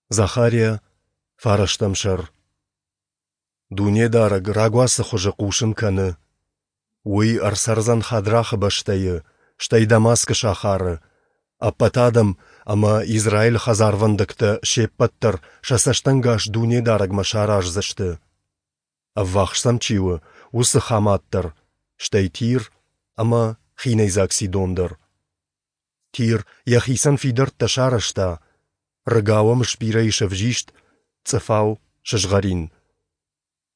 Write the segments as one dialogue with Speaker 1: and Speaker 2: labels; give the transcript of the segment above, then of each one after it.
Speaker 1: Захария, фарӕстӕм сӕр. Дунедарӕг рагуацы хуызы хъусын кӕны. Уый ӕрцӕрдзӕн Хадрахы бӕстӕйы, стӕй Дамаскы сахары. Ӕппӕт адӕм ӕмӕ Израилы хӕдзарвӕндӕгтӕ се ппӕт дӕр сӕ цӕстӕнгас Дунедарӕгмӕ сараздзысты. Ӕввахс сӕм чи у, уыцы Хамат дӕр, стӕй Тир ӕмӕ хинӕйдзаг Сидон дӕр. Тир йӕхицӕн фидӕрттӕ сарӕзта, рыгау ӕм сбирӕ ис ӕвзист, цъыфау сызгъӕрин.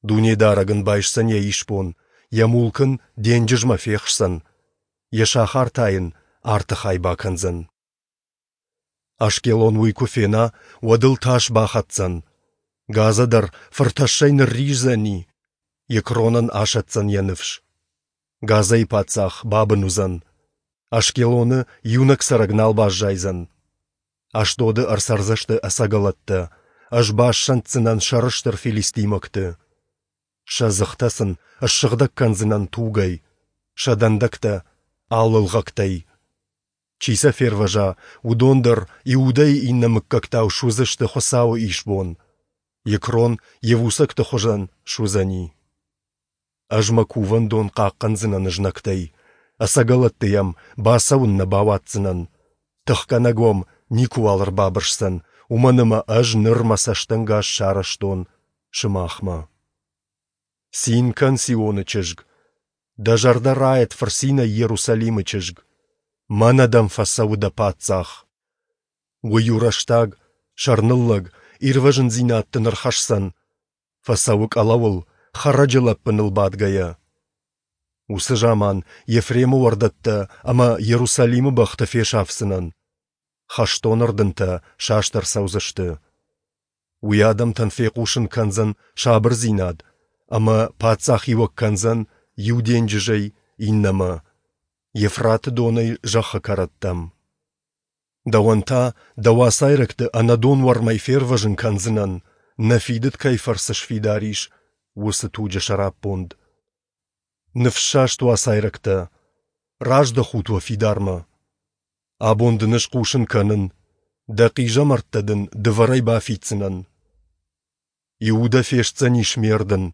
Speaker 1: Дунедарӕг ын байсдзӕн йӕ исбон, йӕ мулк ын денджызмӕ фехсдзӕн, йӕ сахар та йын арты хай бакӕндзӕн. Ашкелон уый куы фена, уӕд ыл тас бахӕцдзӕн. Газа дӕр фыртӕссӕй нырриздзӕни, Екронӕн асӕтдзӕн йӕ ныфс. Газӕйы паддзах бабын уыдзӕн, Ашкелоны иунӕг цӕрӕг нал баззайдзӕн. Ашдоды ӕрцӕрдзысты ӕцӕгӕлӕттӕ, ӕз бассӕнддзынӕн сӕрыстыр филистимӕгты. Сӕ дзыхтӕ сын ссыгъдӕг кӕндзынӕн тугӕй, сӕ дӕндӕгтӕ алы лгъӕгтӕй. Чи сӕ фервӕза, уыдон дӕр Иудӕйы иннӕ мыггӕгтау суыдзысты Хуыцауы исбон. Екрон йевусӕгты хуызӕн суыдзӕни. Ӕз мӕ кувӕндон хъахъхъӕндзынӕн знӕгтӕй, ӕцӕгӕлӕтты йӕм бацӕуын нӕ бауадздзынӕн. Тыхгӕнӕг уӕм никуыуал ӕрбабырсдзӕн, уымӕн ӕмӕ ӕз ныр мӕ цӕстӕнгас сарӕзтон сымахмӕ. Цин кӕн, Сионы чызг! Дӕ зӕрдӕ райӕд фырцинӕй Иерусалимы чызг! Мӕнӕ дӕм фӕцӕуы дӕ паддзах! Уый у рӕстаг, сӕрныллӕг, ирвӕзындзинад дын ӕрхӕсдзӕн. Фӕцӕуы къӕлӕуыл, хӕрӕджы лӕппыныл бадгӕйӕ. Уыцы заман Ефремы уӕрдӕттӕ ӕмӕ Иерусалимы бӕхты фесафдзынӕн. Хӕстон ӕрдынтӕ саст ӕрцӕудзысты. Уый адӕмтӕн фехъусын кӕндзӕн сабырдзинад ӕмӕ паддзахиуӕг кӕндзӕн иу денджызӕй иннӕмӕ, Евфраты донӕй зӕххы кӕрӕттӕм. Дӕуӕн та дӕ уацайрӕгты ӕнӕдон уӕрмӕй фервӕзын кӕндзынӕн, нӕ фидыд кӕй фӕрцы сфидар ис, уыцы туджы сӕраппонд. Ныфссаст уацайрӕгтӕ, раздӕхут уӕ фидармӕ. Абон дын ӕз хъусын кӕнын, дӕ хъизӕмӕрттӕ дын дывӕрӕй бафиддзынӕн. Иудӕ фестдзӕнис ме рдын,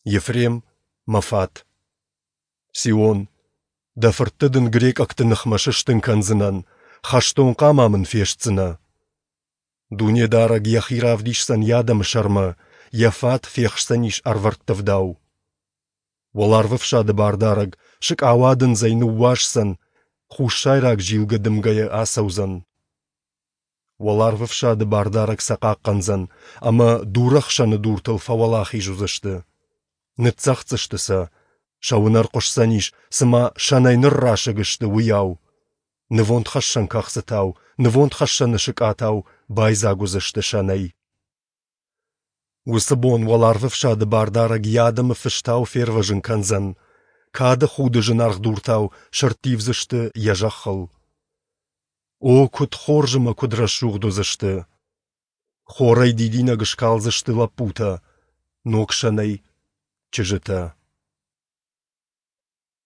Speaker 1: Ефрем — мӕ фат. Сион, дӕ фыртты дын грекъӕгты ныхмӕ сыстын кӕндзынӕн, хӕстон хъама мын фестдзынӕ. Дунедарӕг йӕхи равдисдзӕн йӕ адӕмы сӕрмӕ, йӕ фат фехсдзӕнис ӕрвӕрттывдау. Уӕларвӕфсады бардарӕг сыкъауадындзӕй ныууасдзӕн, хуссайраг зилгӕ дымгӕйӕ ацӕудзӕн. Уӕларвӕфсады бардарӕг сӕ хъахъхъӕндзӕн, ӕмӕ дурӕхсӕны дуртыл фӕуӕлахиз уыдзысты. Ныццӕгъддзысты сӕ, сӕ уынӕр хъуысдзӕнис, цыма сӕнӕй ныррасыг сты, уыйау. Нывондхӕссӕн кӕхцытау, нывондхӕссӕны сыкъатау байдзаг уыдзысты сӕнӕй. Уыцы бон уӕларвӕфсады бардарӕг йӕ адӕмы фыстау фервӕзын кӕндзӕн, кады худы зынаргъ дуртау сӕрттивдзысты йӕ зӕххыл. О, куыд хорз ӕмӕ куыд рӕсугъд уыдзысты! Хорӕй дидинӕг скалдзысты лӕппутӕ, ног сӕнӕй — чызджытӕ.